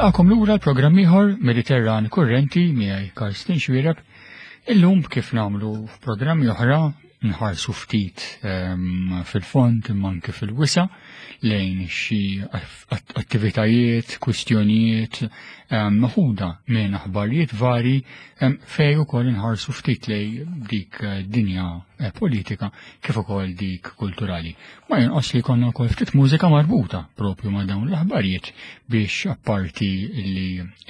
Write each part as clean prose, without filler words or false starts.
Nilqakom lura l-programm ieħor Mediterran Kurrenti miegħi Karsten Xwireb. Illum kif nagħmlu f'programmi oħra nħarsu ftit ehm, fil-fond imma anke fil-wisa lejn xi attivitajiet, kwistjonijiet ehm, meħuda minn aħbarijiet vari ehm, fej ukoll inħarsu ftit lej dik eh, dinja eh, politika kif ukoll dik kulturali. Ma jonqos li jkollna wkoll ftit mużika marbuta propju ma' dawn l-aħbarijiet biex apparti li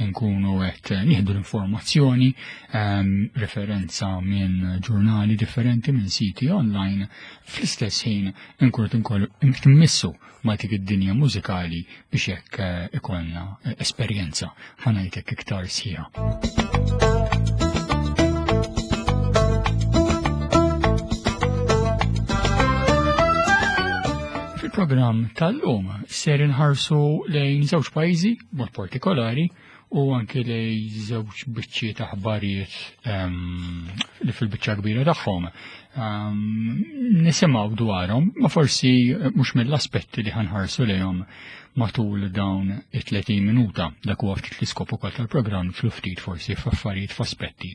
nkunu qed nieħdu l-informazzjoni ehm, referenza minn ġurnali differenti minn siti online fl-istess ħin nkunu qed ma' dik id-dinja mużikali biex hekk eh, ikollna eh, esperjenza ħanajtek iktar sħiħa. Fil-programm tal-lum ser inħarsu lejn żewġ pajjiżi mod partikolari u anke lejn żewġ biċċi ta' aħbarijiet ehm, li fil-biċċa kbira tagħhom ehm, nisimgħu dwarhom, ma forsi mhux mill-aspetti li ħanħarsu lejhom matul dawn it-30 minuta. Dak huwa ftit l-iskop ukoll tal-programm fl ftit forsi f'affarijiet f'aspetti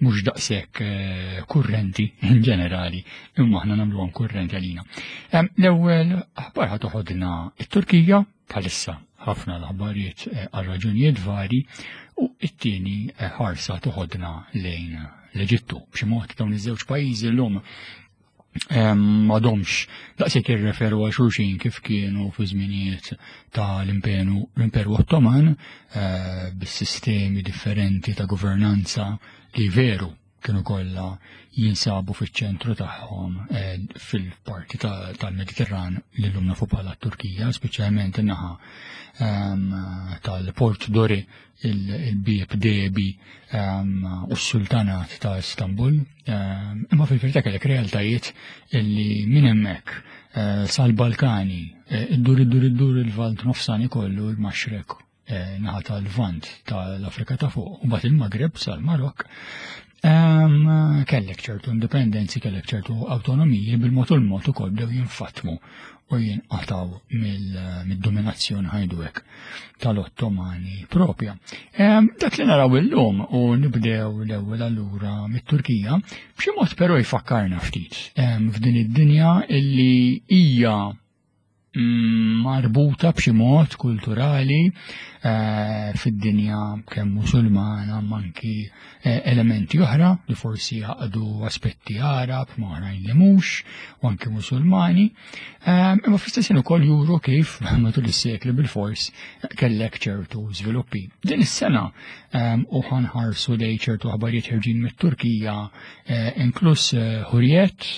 mhux daqshekk eh, kurrenti in ġenerali, imma aħna nagħmluhom kurrenti għalina. Ehm, l-ewwel aħbar ħa toħodna it-Turkija bħalissa ħafna l-aħbarijiet eh, għal raġunijiet vari u it-tieni eh, ħarsa toħodna lejn l-Eġittu. B'xi mod dawn iż-żewġ pajjiżi llum m'għadhomx daqshekk jirreferu għal xulxin kif kienu fi żminijiet tal-Imperu l-Imperu Ottoman eh, bis-sistemi differenti ta' governanza li veru kienu kollha jinsabu fiċ-ċentru tagħhom eh, fil-parti tal-Mediterran li llum nafu bħala Turkija, speċjalment in-naħa ehm, tal-Port Dori, il-bieb Debi ehm, u s-Sultanat ta' Istanbul. Ehm, imma fil-verità kellek realtajiet illi minn hemmhekk eh, sal-Balkani, eh, iddur iddur iddur il-Valt Nofsani kollu l-Maxrek Eh, naħa tal-Lvant tal-Afrika ta' fuq, u bat il-Maghreb sal-Marok, ehm, kellek ċertu indipendenzi, kellek ċertu autonomiji bil-mod u l-mod ukoll bdew jinfatmu u jinqataw mid-dominazzjoni ħajdu hekk tal-Ottomani propja. Ehm, dak li naraw illum u nibdew l-ewwel allura mit-Turkija, b'xi mod però jfakkarna ftit ehm, f'din id-dinja illi hija Mm, marbuta b'xi mod kulturali eh, fid-dinja kemm musulmana manki eh, elementi oħra li forsi jaqdu aspetti Arab ma oħrajn li mhux u anki musulmani. Eh, imma fl-istess ukoll juru kif matul is-sekli bil-fors kellek ċertu żviluppi. Din is-sena u ħanħarsu lej ċertu aħbarijiet ħerġin mit-Turkija inkluż Hurriet,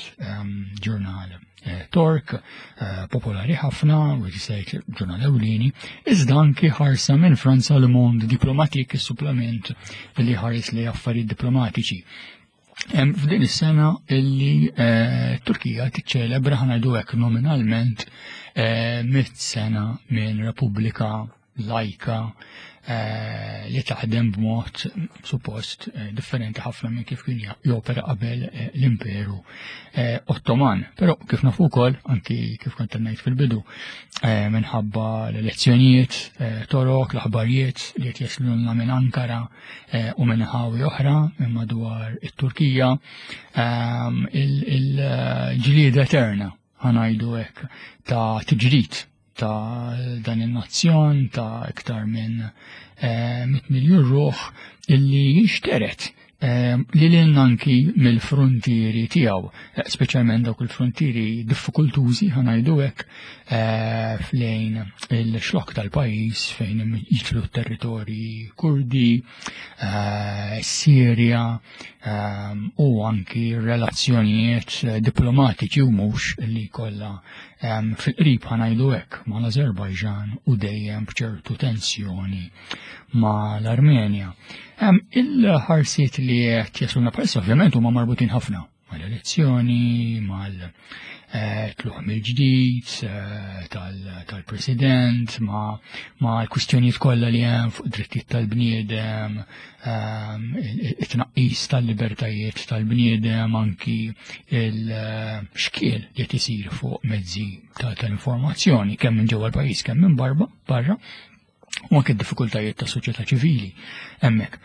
ġurnal Eh, Tork, eh, popolari ħafna, u jisajt ġurnal ewlieni, iżda anki ħarsa minn Franza Le Monde Diplomatique, is-supplament li ħares li affarijiet diplomatiċi. F'din is-sena illi eh, Turkija tiċċelebra ħanajdu hekk nominalment mit sena minn Repubblika lajka eh, li taħdem b'mod suppost eh, differenti ħafna minn kif kien jopera qabel eh, l-Imperu Ottoman. Però kif nafu wkoll, anki kif kont ngħid fil-bidu, minħabba l-elezzjonijiet torok, l-aħbarijiet li qed jaslulna minn Ankara u minn ħawi oħra minn madwar it-Turkija, il-ġlieda eterna ħanajdu hekk ta' tiġrid ta' dan il-nazzjon ta' iktar minn 100 eh, miljun ruħ illi jinxteret eh, li l anki mill-frontieri tiegħu, eh, speċjalment dawk il-frontieri diffikultużi ħanajdu hekk flejn il-xlok tal-pajjiż fejn jitlu territorji Kurdi, Sirja u anki relazzjonijiet diplomatiċi u mhux li kollha fil-qrib ħanajdu hekk mal-Azerbajġan u dejjem b'ċertu tensjoni mal-Armenja. Il-ħarsiet li qed jasluna bħalissa ovvjament huma marbutin ħafna mal-elezzjoni, mal-tluħ eh, mill-ġdid eh, tal-president, ma' l-kwistjonijiet kollha li hemm fuq drittijiet tal-bniedem, Ehm, it-tnaqqis tal-libertajiet tal-bniedem anki il-xkiel li qed isir fuq mezzi tal-informazzjoni kemm minn ġewwa l-pajjiż kemm minn barba barra. U anke d-diffikultajiet ta' soċjetà ċivili hemmhekk.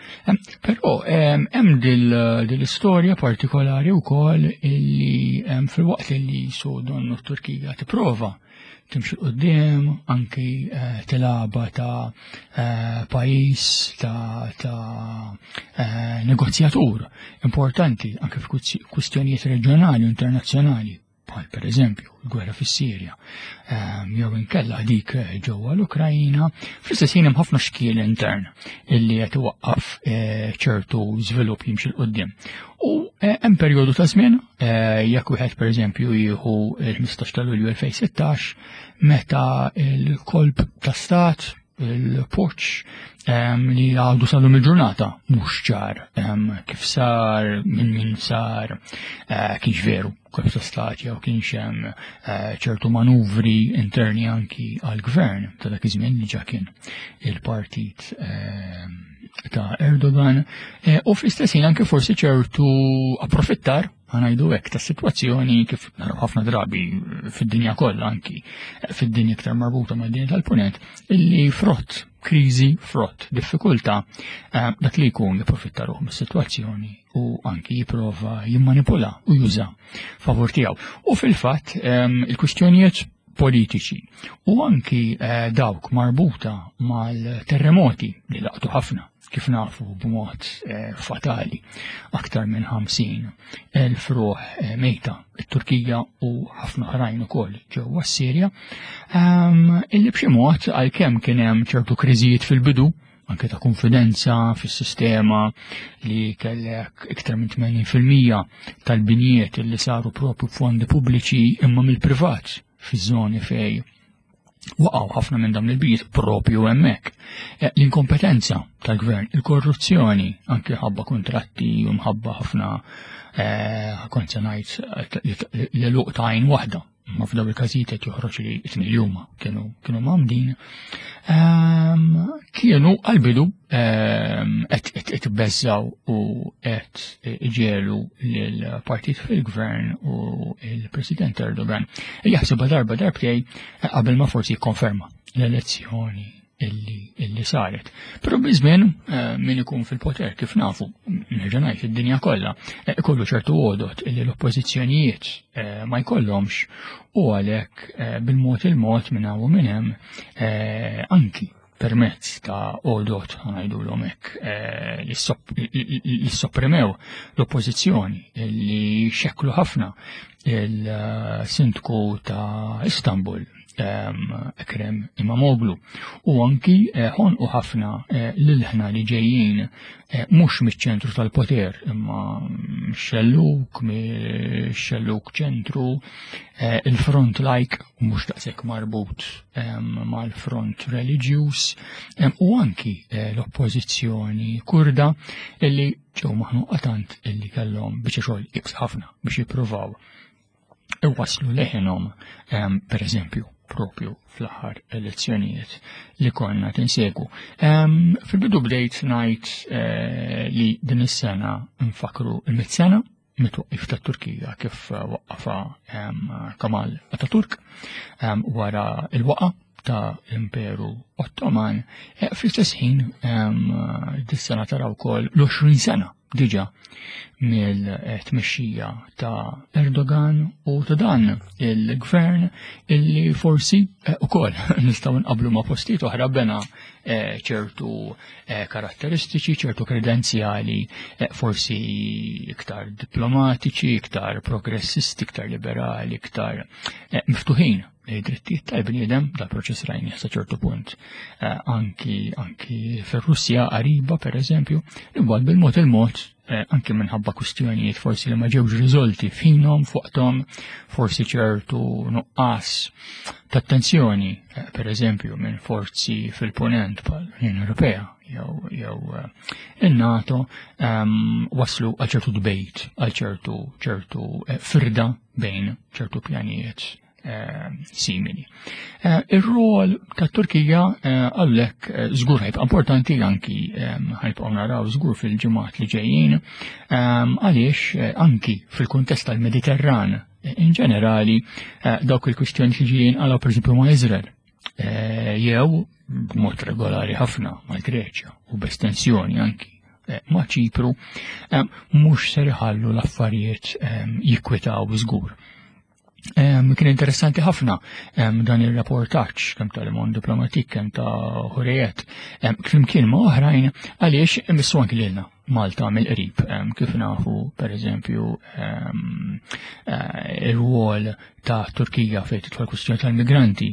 Però hemm dil-istorja partikolari wkoll illi fil-waqt li su donnu t-Turkija tipprova timxi qudiem anki eh, tilaba ta' eh, pajjiż ta', ta eh, negozjatur importanti anke f'kwistjonijiet reġjonali u internazzjonali bħal per eżempju l-gwerra fis-Sirja jew inkella dik ġewwa l-Ukrajina, fl-istess ħin hemm ħafna xkiel intern illi qed iwaqqaf ċertu żvilupp jimxi l quddiem. U hemm perjodu ta' żmien jekk wieħed pereżempju jieħu l-15 ta' Lulju 2016 meta l-kolb ta' stat il-poċ li għadu sal-lum il-ġurnata mhux ċar kif sar, minn min sar, eh, kienx veru kif ta' stat jew kienx hemm eh, ċertu manuvri interni anki għal-gvern ta' dak iż-żmien li ġa kien il-partit ta' Erdogan eh, u fl-istess ħin anke forsi ċertu approfittar ħanajdu hekk ta' sitwazzjoni kif naraw ħafna drabi fid-dinja kollha anki fid-dinja iktar marbuta mad-dinja tal-punent illi frott kriżi, frott diffikultà eh, dak li jkun jipprofitta ruħ mis-sitwazzjoni u anki jipprova jimmanipula u juża favur tiegħu. U fil-fatt ehm, il-kwistjonijiet politiċi u anki eh, dawk marbuta mal-terremoti li laqtu ħafna kif nafu b'mod eh, fatali aktar minn 50 elf ruħ eh, mejta it-Turkija u ħafna oħrajn ukoll ġewwa s-Sirja ehm, illi b'xi mod għalkemm kien hemm ċertu kriżijiet fil-bidu anke ta' konfidenza fis-sistema li kellek iktar minn 80% tal-binjiet li saru propju b'fondi pubbliċi imma mill-privat fiż-żoni fej waqgħu ħafna minn dawn il-bijiet propju hemmhekk. Eh, l-inkompetenza tal-gvern, il-korruzzjoni, anke ħabba kontratti u mħabba ħafna eh, kont se ngħid eh, l-eluq ta' għajn waħda ma f'daw il-każijiet qed joħroġ li t li huma kienu kienu mamdin ehm, kienu għal-bidu ehm, qed itbeżżaw u qed iġelu lill-partit fil-gvern u il-President Erdogan jaħsibha darba darbtej qabel ma forsi jikkonferma l-elezzjoni illi, illi saret. Però biż-żmien eh, min ikun fil-poter kif nafu, nerġa' ngħid id-dinja kollha, eh, ikollu ċertu għodot illi l-oppożizzjonijiet eh, ma jkollhomx u għalhekk bil-mod il-mod minn hawn u minn hemm anki permezz ta' għodot ngħidulhom hekk li sopprimew l-oppożizzjoni li xekklu ħafna il-sindku ta' Istanbul Ekrem Imamoglu u anki eh, ħonqu ħafna eh, l-ilħna li ġejjin eh, mhux miċ-ċentru tal-poter imma xelluk, xelluk ċentru, il-front like mhux daqshekk marbut mal-front reliġjuż u anki l-oppożizzjoni kurda illi ġew maħnuqa tant illi kellhom biċċa xogħol ibs ħafna biex jippruvaw iwasslu leħinhom ehm, per eżempju propju fl-aħħar elezzjonijiet li konna tinsegu. Ehm, fil-bidu bdejt ngħid eh, li din is-sena nfakru il-mit sena mit-twaqqif tat-Turkija kif waqqafa ehm, Kamal Ataturk wara il-waqa ta' l-Imperu Ottoman. Eh, fl-istess ħin dis-sena taraw ukoll l-20 sena diġa mill-tmexxija ta' Erdogan u ta' dan il-gvern illi forsi eh, ukoll nistgħu nqablu ma' postijiet oħra bena eh, ċertu eh, karatteristiċi, ċertu kredenzjali forsi iktar diplomatiċi, iktar progressisti, iktar liberali, iktar miftuħin drittijiet tal-bniedem, dal-proċess rajni sa ċertu punt eh, anki anki fir-Russja qariba per eżempju, imbagħad bil-mod il-mod eh, anki minħabba kwistjonijiet forsi li ma ġewx riżolti f'ħinhom fuqthom, forsi ċertu nuqqas ta' attenzjoni, eh, per eżempju minn forzi fil-ponent bħal l-Unjoni Ewropea jew jew in-NATO ehm, waslu għal ċertu dbejt, għal ċertu ċertu firda bejn ċertu pjanijiet Eh, simili. Eh, ir-rol ta' Turkija eh, għallek żgur ħajbqa' importanti anki ħajbqgħu naraw żgur fil-ġimgħat li ġejjin għaliex anki fil-kuntest tal-Mediterran in ġenerali dawk il-kwistjoni li ġejjin għalaw pereżempju ma' Izrael. jew b'mod regolari ħafna mal-Greċja u b'estensjoni anki ma' Ċipru, mhux ser iħallu l-affarijiet jikkwitaw żgur. Kien interessanti ħafna dan ir-rapportaġġ kemm ta' Le Monde Diplomatique kemm ta' Hurriyet flimkien ma' oħrajn għaliex imissu anki lilna Malta mill-qrib kif nafu pereżempju ir-rwol ta' Turkija fejn tidħol kwistjoni tal-migranti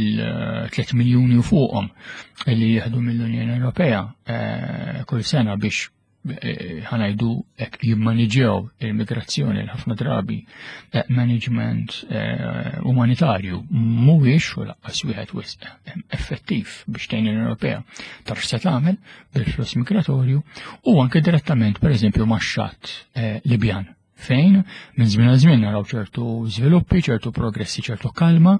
il-3 miljuni u fuqhom li jieħdu mill-Unjoni Ewropea kull sena biex ħanajdu hekk jimmaniġew il-migrazzjoni l ħafna drabi management umanitarju mhuwiex u laqqas wieħed wisq effettiv biex tgħin l-Unjoni Ewropea taf se tagħmel bil-fluss migratorju u anke direttament pereżempju max-xatt Libjan fejn minn żmien għal żmien naraw ċertu żviluppi, ċertu progressi, ċertu kalma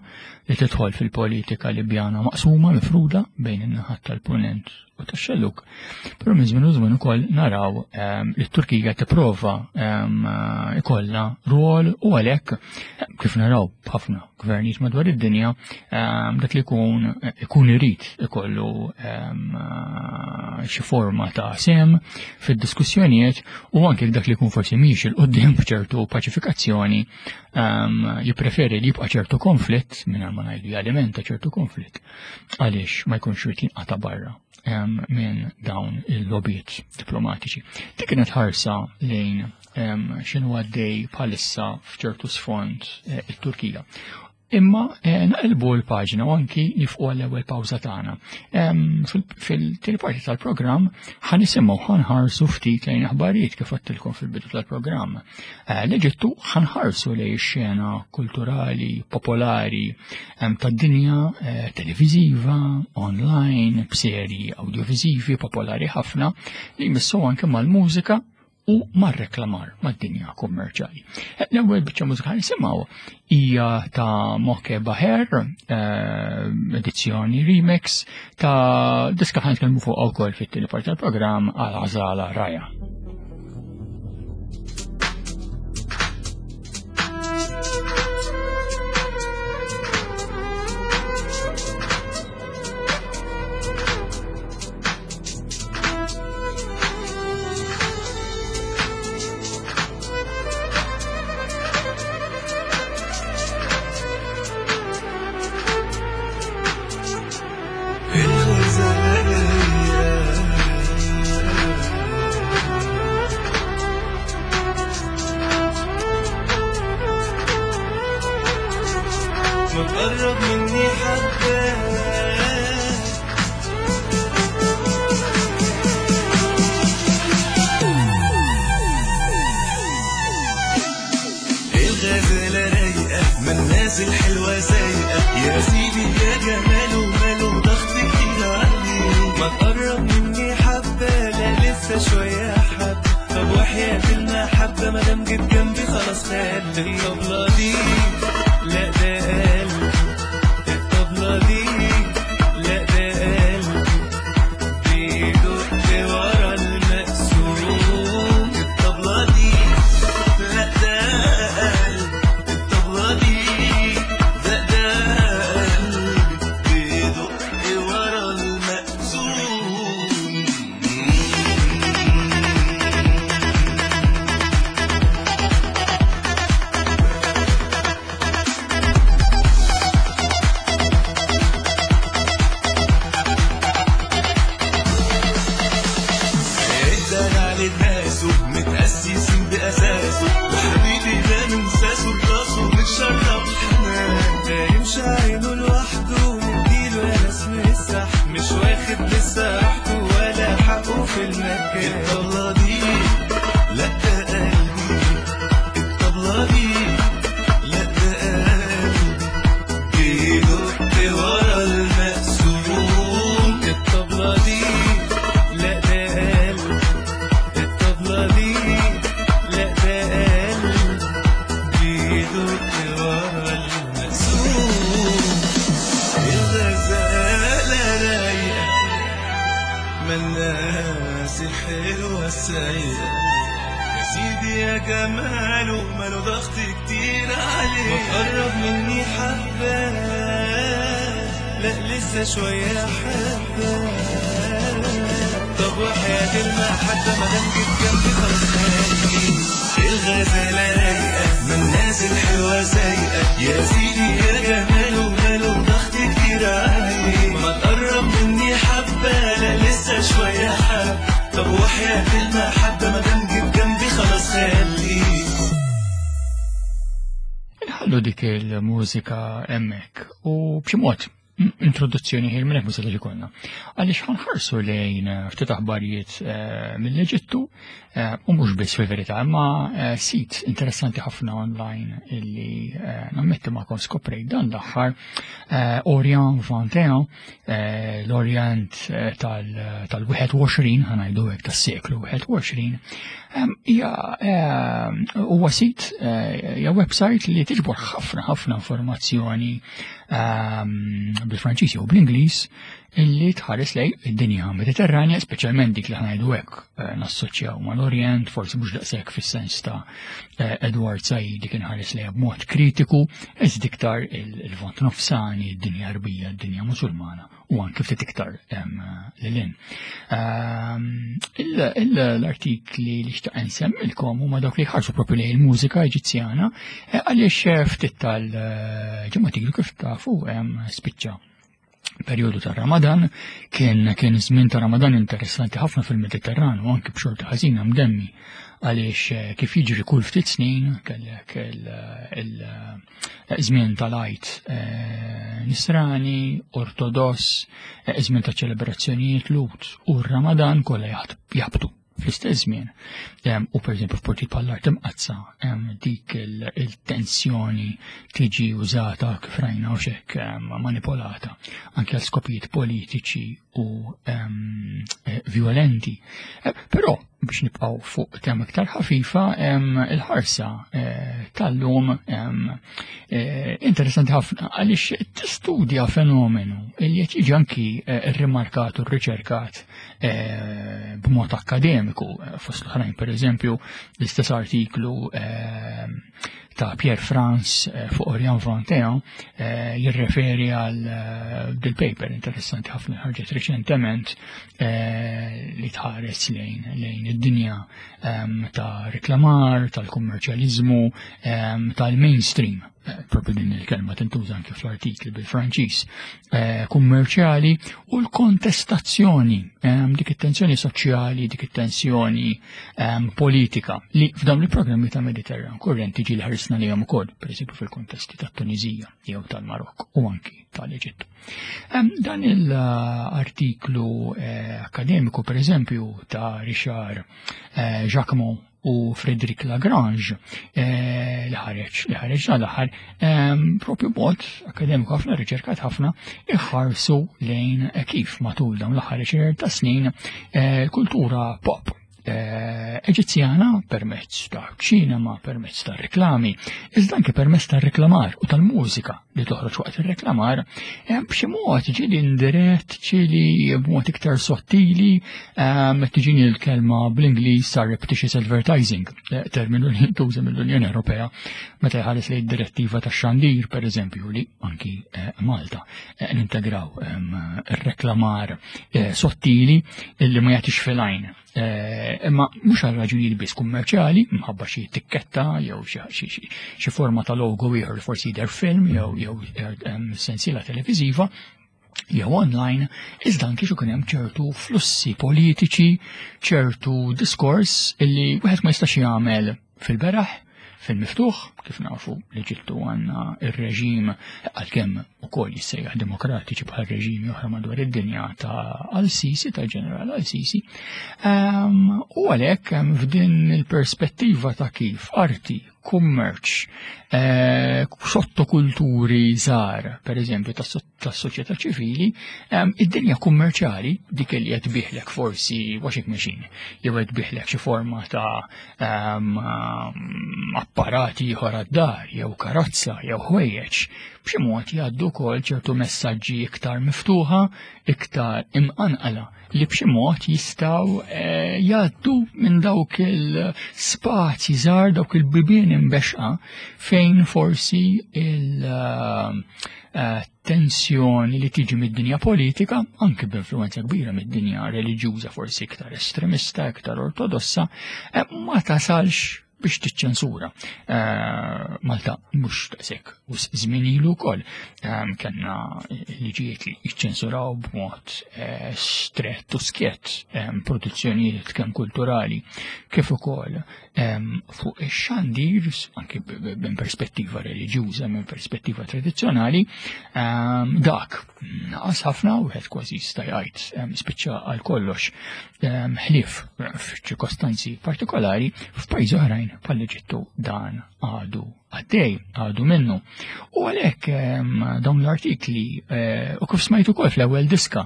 li tidħol fil-politika Libjana maqsuma, mifruda bejn in-naħat tal-punent u tax-xellug. Però minn żmien u żmien ukoll naraw li t-Turkija tipprova ikollha rwol u għalhekk kif naraw b'ħafna gvernijiet madwar id-dinja dak li jkun ikun irid ikollu xi forma ta' sem fid-diskussjonijiet u anke dak li jkun forsi mhix il quddiem b'ċertu paċifikazzjoni jippreferi li jibqa' ċertu konflitt mingħajr ma ngħidu jalimenta ċertu konflitt għaliex ma jkunx irid jinqata' barra minn dawn il-lobbiet diplomatiċi. Dik kienet ħarsa lejn x'inhu għaddej bħalissa f'ċertu sfond it-Turkija. Imma naqilbu l-paġna u anki nifqu għall-ewwel pawża tagħna. Fil-tieni parti tal-programm ħa nisimgħu ħa nħarsu ftit lejn aħbarijiet kif għedtilkom fil-bidu tal-programm. L-Eġittu ħa nħarsu lejn xena kulturali, popolari tad-dinja televiżiva, online, b'serji audiovisivi popolari ħafna li jmissu anke mal-mużika u mar-reklamar mad-dinja kummerċjali. L-ewwel biċċa mużika nisimgħu hija ta' Moke Baher, edizzjoni remix ta' diska ħa nitkellmu fuq wkoll fit-tieni parti tal-programm għal Għażala Raja. ما تقرب مني حبة الغزالة رايقة ما الناس الحلوة سايقة يا سيدي يا جماله ماله ضغط كتير عليه ما تقرب مني حبة لا لسه شوية حبة طب وحياة المحبة ما دام جيت جنبي خلاص خد الطبلة دي لا ده قلب الطبلة دي لا ده قلب بيدق ورا المقسوم الطبلة دي لا ده قلب الطبلة دي ده ده قلب بيدق ورا المقسوم. الدلع لناسه متأسسين بأساسه وحبيبي ده من ساسه لراسه متشرب حنان ده يمشي عينه لوحده مديله يا ناس مسح مش واخد لسه راحته ولا حقه في المكان. الطبلة دي لا ده قلبي، الطبلة دي لا ده قلبي بيدق ورا المقسوم. الطبلة دي لا ده قلب، الطبلة دي لا ده قلب بيدق ورا المقسوم. الغزالة رايقة ما الناس الحلوة السايقة يا سيدي يا جماله ماله ضغط كتير عليه ما تقرب مني حبة. لا لسه شوية حبة. طب وحياة المحبة ما دام جيت جنبي خلاص خليك. الغزالة رايقة من الناس الحلوة سايقة، يا سيدي يا جماله ماله ضغط كتير عليه. ما تقرب مني حبة، لا لسه شوية حبة. طب وحياة المحبة ما دام جيت جنبي خلاص خليك. Inħallu dik il-mużika hemmhekk u b'xi mod introduzzjoni ħir minn hekk ma setax ikollna. Għaliex ħanħarsu lejn ftit aħbarijiet mill-Eġittu u mhux biss fil-verità, imma sit interessanti ħafna online illi nammetti magħkom skoprejt dan l-aħħar, Orient 21, l-Orient tal-21, ħanajdu hekk tas-seklu 21, hija huwa sit, hija website li tiġbor ħafna ħafna informazzjoni bil-Franċiż jew bl-Ingliż illi tħares lej id-dinja Mediterranja, speċjalment dik li ħanajdu hekk nassoċjaw mal-Orient, forsi mhux daqshekk fis-sens ta' Edward Said li kien ħares lejha b'mod kritiku, iżda iktar il-Lvant Nofsani, id-dinja Arbija, id-dinja Musulmana u anke ftit iktar lil hinn. L-artikli li xtaq nsemmilkom huma dawk li jħarsu propju lejn il-mużika Eġizzjana, għaliex ftit tal-ġimgħa ilu kif tafu spiċċa perjodu ta' Ramadan, kien żmien ta' Ramadan interessanti ħafna fil-Mediterran u anke b'xorta ħażina mdemmi għaliex kif jiġri kull ftit snin kellek il-żmien tal-Għid Nisrani, Ortodoss, żmien ta' ċelebrazzjonijiet Lut u r-Ramadan kollha jaħbtu fl-istess żmien. U per eżempju f'portijiet bħall-Art Imqaddsa, dik il-tensjoni tiġi użata kif rajna u xek manipolata anke għal skopijiet politiċi u violenti. Però biex nibqgħu fuq tema iktar ħafifa, il-ħarsa tal-lum interessanti ħafna għaliex tistudja fenomenu li qed jiġi anki rrimarkat u rriċerkat b'mod akkademiku, fost l-oħrajn per eżempju l-istess artiklu ta' Pierre France fuq Orient 21 jirreferi għal dil-paper interessanti ħafna ħarġet reċentement li tħares lejn id-dinja ta' reklamar, tal-kummerċjaliżmu, tal-mainstream. Propju din il-kelma tintuża anke fl-artikli bil-Franċiż, kummerċjali u l-kontestazzjoni, dik it-tensjoni soċjali, dik it-tensjoni politika li f'dawn il-programmi ta' Mediterran kurrenti ġieli ħarisna lejhom ukoll, pereżempju fil-kontesti tat-Tuniżija jew tal-Marokk u anki tal-Eġittu. Dan l-artiklu akkademiku, pereżempju, ta' Richard Jacquemot u Frédéric Lagrange, li ħareġ dan l-aħħar, propju b'mod akademiku ħafna, riċerkat ħafna, iħarsu lejn kif matul dawn l-aħħar għexieren ta' snin kultura pop Eġizzjana permezz ta' ċinema, permezz ta' reklami, iżda anke permezz ta' reklamar u tal-mużika li toħroġ waqt ir-reklamar, b'xi mod ġieli indirett, ġieli b'mod iktar sottili, tiġini l-kelma bl-Ingliż surreptitious advertising, terminu li jintuża mill-Unjoni Ewropea meta jħares lejn direttiva tax-xandir, per eżempju, li anki Malta nintegraw ir-reklamar sottili illi ma jagħtix fil-għajn. Imma mhux għal raġunijiet biss kummerċjali, minħabba xi tikketta jew xi forma ta' logo ieħor li forsi jidher film jew sensiela televiżiva jew online, iżda anki xi hemm ċertu flussi politiċi, ċertu diskors illi wieħed ma jistax jagħmel fil-beraħ, fil-miftuħ, kif nafu l-Eġittu għandna ir-reġim għalkemm ukoll jissejjaħ demokratiċi bħal reġimi oħra madwar id-dinja ta' Al-Sisi, ta' ġeneral Al-Sisi. U għalhekk f'din il-perspettiva ta' kif arti, kummerċ, sottokulturi żgħar, per eżempju, tas-soċjetà ċivili, id-dinja kummerċjali, dik li qed tbiħlek forsi washing machine, jew qed tbiħlek xi forma ta' apparati ieħor għad-dar, jew karozza, jew ħwejjeġ. b'xi mod jgħaddu wkoll ċertu messaġġi iktar miftuħa, iktar imqanqala li b'xi mod jistgħu eh, jgħaddu minn dawk il-spazji żgħar, dawk il-bibien imbexqa fejn forsi il- eh, tensjoni li tiġi mid-dinja politika, anki b'influenza kbira mid-dinja reliġjuża forsi iktar estremista, iktar ortodossa, eh, ma tasalx biex tiċċensura. Eh, Malta mhux daqshekk u żmien ilu wkoll eh, kellna liġijiet li jiċċensuraw b'mod strett u skjett produzzjonijiet kemm kulturali kif ukoll fuq ix-xandir, anki minn perspettiva reliġjuża, minn perspettiva tradizzjonali, dak naqas ħafna u wieħed kważi jista' jgħid spiċċa għal kollox ħlief f'ċirkostanzi partikolari f'pajjiżi oħrajn bħall-Eġittu dan għadu għaddej, għadu minnu. U għalhekk dawn l-artikli eh, u kif smajtu ukoll fl-ewwel diska,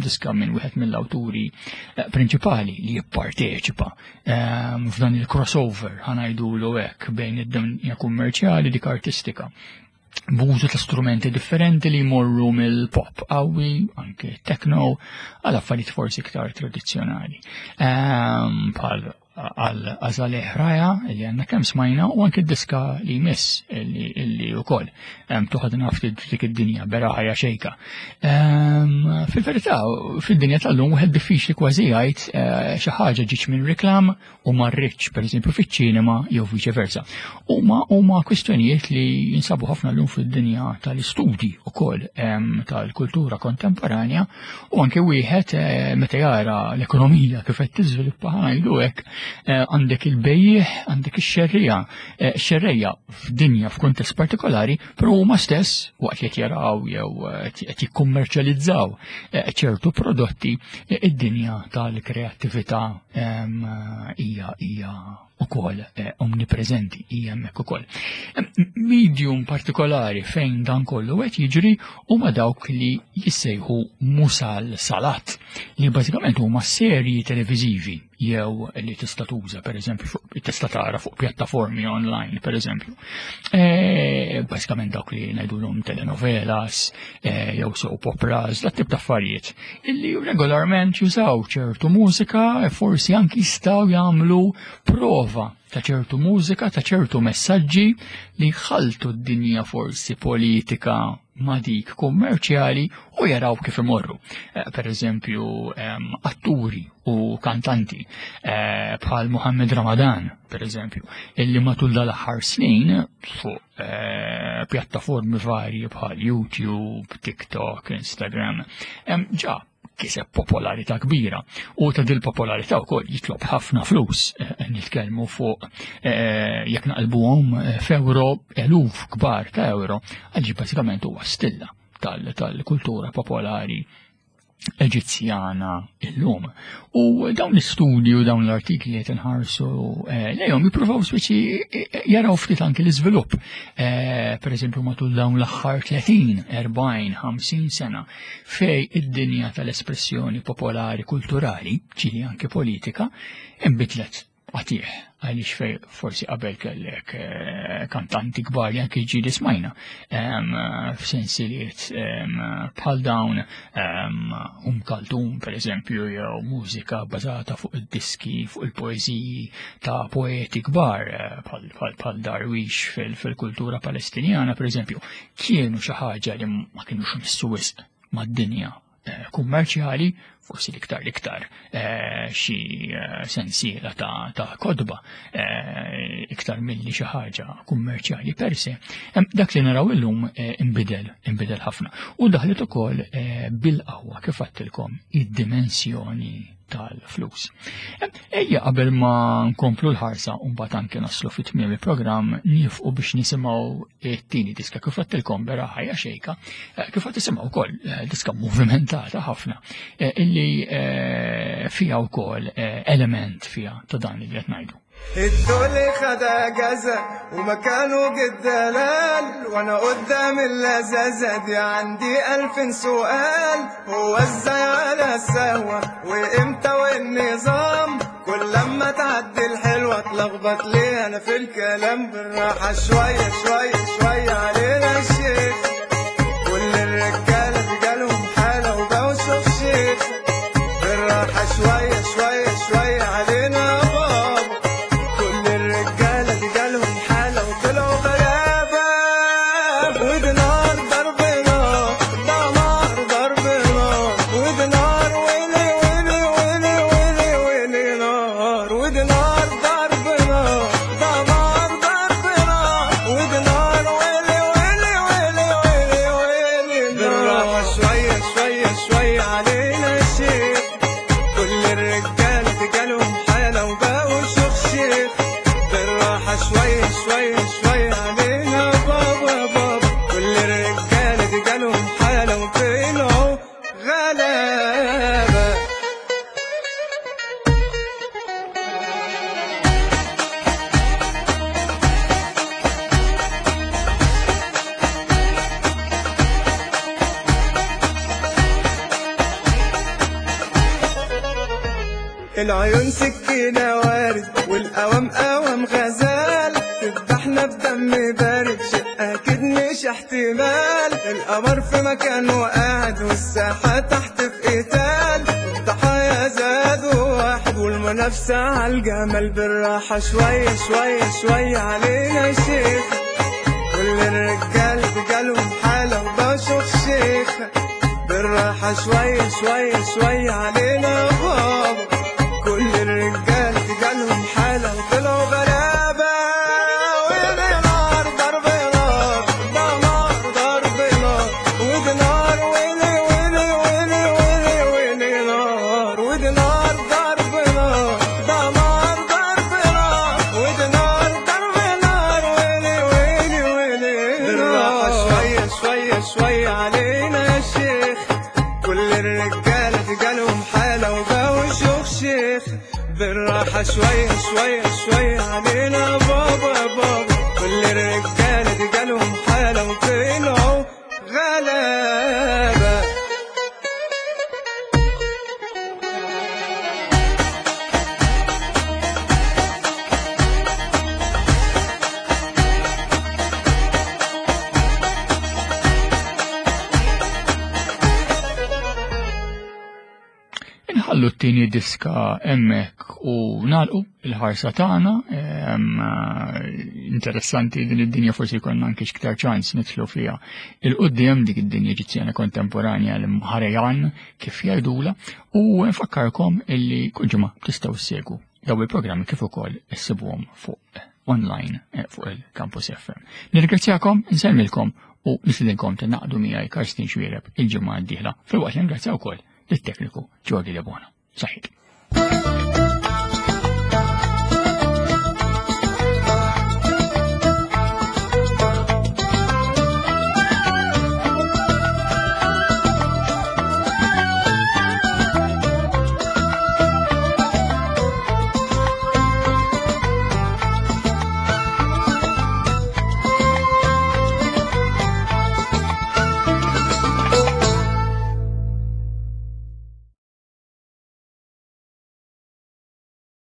diska minn wieħed mill-awturi eh, prinċipali li jipparteċipa f'dan il-crossover ħanajdulu hekk bejn id-dinja kummerċjali dik artistika b'użu ta' strumenti differenti li jmorru mill-pop qawwi, anke techno, għal affarijiet forsi iktar tradizzjonali. Bħal għal Azaleh Raja li għanna kemm smajna u anke diska li jmiss li wkoll toħodna ftit dik id-dinja bera ħajja xejka. Fil-verità, fid-dinja tal-lum wieħed diffiċli kważi jgħid eh, xi ħaġa ġietx minn reklam u marritx pereżempju fiċ-ċinema jew viċe versa. Huma huma kwistjonijiet li jinsabu ħafna llum fid-dinja tal-istudji ukoll tal-kultura kontemporanja U anke wieħed eh, meta jara l-ekonomija kif qed tiżviluppa ngħidu hekk eh, għandek il-bejjiegħ, għandek ix-xerrija, eh, xerrejja f'dinja f'kuntest partikolari, però huma stess waqt li qed jaraw jew qed jikkummerċjalizzaw ċertu prodotti, id-dinja tal-kreattività ehm, hija hija ukoll eh, omnipreżenti hija hemmhekk ukoll. Medium partikolari fejn dan kollu qed jiġri huma dawk li jissejħu musal salat li bażikament huma serji televiżivi jew li tista' tuża pereżempju tista' tara fuq pjattaformi online pereżempju. E, bażikament dawk li ngħidulhom telenovelas e, jew soap operas, dat tip ta' affarijiet illi regolarment jużaw ċertu mużika e forsi anki jistgħu jagħmlu prova ta' ċertu mużika, ta' ċertu messaġġi li jħaltu d-dinja forsi politika ma' dik kummerċjali u jaraw kif imorru. Eh, per eżempju, atturi u kantanti eh, bħal Muhammad Ramadan, per eżempju, illi matul dal-aħħar snin fuq Eh, pjattaformi varji bħal YouTube, TikTok, Instagram, ġa kiseb popolarità kbira u ta' dil popolarità wkoll jitlob ħafna flus eh, nitkellmu fuq eh, jekk naqlbuhom f'euro eluf kbar ta' euro għaliex bażikament huwa stilla tal-kultura popolari Eġizzjana illum. U dawn l-istudji u dawn l-artikli qed inħarsu eh, lejhom jippruvaw speċi eh, eh, jaraw ftit anki l-iżvilupp. Per eżempju matul dawn l-aħħar 30, 40, 50 sena fej id-dinja tal-espressjoni popolari kulturali, ġili anki politika, inbidlet għatih għaliex fej forsi qabel kellek eh, kantanti kbar li anki ġili smajna f'sensiliet bħal dawn Um Kaltum per eżempju jew mużika bbażata fuq id-diski fuq il-poeżiji ta' poeti kbar eh, bħal Darwish fil-kultura Palestinjana per eżempju kienu xi ħaġa li ma kienux missu wisq mad-dinja Eh, kummerċjali, forsi l-iktar l-iktar eh, xi eh, sensiela ta', ta kodba iktar milli xi ħaġa kummerċjali per se, dak li naraw illum imbidel, imbidel ħafna. U daħlet ukoll bil-qawwa kif għattilkom id-dimensjoni tal-flus. Ejja qabel ma nkomplu l-ħarsa u mbagħad anke naslu fit tmiem il-programm nifqu biex nisimgħu it-tieni diska kif għattilkom bera ħajja xejka, eh, kif qed tisimgħu wkoll eh, diska movimentata ħafna eh, illi fiha wkoll element fiha ta' dan li qed ngħidu. الدول خد جزا ومكانه جد وانا قدام اللذاذة دي عندي ألف سؤال هو ازاي على السهوة وامتى والنظام كل لما تعدي الحلوة اتلخبط ليه انا في الكلام. بالراحة شوية شوية شوية علينا الشيخ، كل الرجالة بجالهم حالة وبقوا شيخ شيخ. بالراحة شوية شوية شوية علينا يا بابا، كل الرجالة بجالهم حالة وطلعوا غلابة. ودي نار ضرب نار، ده نار ضرب نار، ودي نار ويلي ويلي ويلي ويلي ويلي نار، ودي نار ضرب نار، ده نار ضرب نار، ودي نار ويلي ويلي ويلي ويلي ويلي نار. بالراحة شوية شوية شوية علينا يا شيخ، كل الرجالة جالهم حالة وبقوا شيخ شيخ. بالراحة شوية شوية شوية علينا بابا بابا، كل الرجالة دي جالهم حالة وطلعوا غلابة. العيون سكينة وارد والقوام قوام غزال، تذبحنا بدم بارد شيء أكيد مش احتمال. القمر في مكانه قاعد والساحة تحت في قتال، الضحايا زادوا واحد والمنافسة عالجمال. بالراحة شوية شوية شوية علينا يا شيخ، كل الرجال بجالهم حالة وبقوا شيخ شيخ. بالراحة شوية شوية شوية علينا يا بابا، كل الرجال جالهم حالة وطلعوا غلابة. ودي نار ضرب نار، ده نار ضرب نار، ودي نار ويلي ويلي ويلي ويلي ويلي نار، ودي نار ضرب نار، ده نار ضرب نار، ودي نار ضرب نار، ويلي ويلي ويلي. بالراحة شوية شوية شوية علينا يا شيخ، كل الرجالة جالهم حالة وبقوا شيوخ شيخ. بالراحة شوية شوية شوية علينا بابا بابا، كل الرجالة دي جالهم حالة وطلعوا غلابة. Inħallu t-tieni diska hemmhekk u nagħlqu il-ħarsa tagħna. Interessanti din id-dinja, forsi jkollna anke iktar ċans nidħlu fiha il-quddiem, dik id-dinja Eġizzjana kontemporanja l-Mħarejan kif jgħidula, u nfakkarkom illi kull ġimgħa tistgħu ssegwu daw il-programmi kif ukoll issibuhom fuq online fuq il-Campus FM. Nirringrazzjakom, insellmilkom u nistedinkom tingħaqdu miegħi Karsten Xuereb il-ġimgħa d-dieħla, filwaqt li ngrazzja wkoll lit-tekniku Jordi Lebona. Saħħit.